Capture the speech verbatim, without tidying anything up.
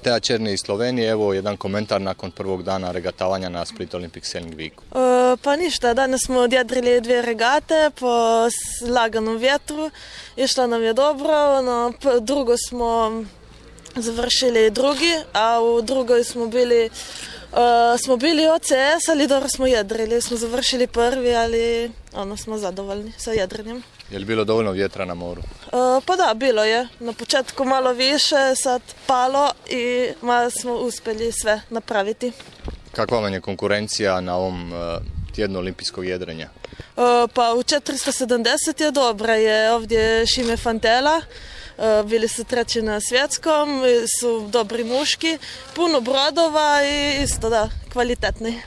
Matea Černi iz Slovenije, evo jedan komentar nakon prvog dana regatavanja na Split Olympic Sailing Weeku. E, pa ništa, danas smo odjedrili dvije regate po laganom vjetru, išlo nam je dobro, ono, drugo smo završili drugi, a u drugoj smo bili Uh, smo bili O C S, ali dobro smo jedrili, smo završili prvi, ali ono, smo zadovoljni sa jedrenjem. Je li bilo dovoljno vjetra na moru? Uh, pa da, bilo je. Na početku malo više, sad palo i malo smo uspjeli sve napraviti. Kakva vam je konkurencija na ovom uh, tjednu olimpijskog jedrenja? Uh, pa u četiristo sedamdeset je dobra, je ovdje Šime Fantela. Bili su treći na svjetskom, su dobri muški, puno brodova i isto da, kvalitetni.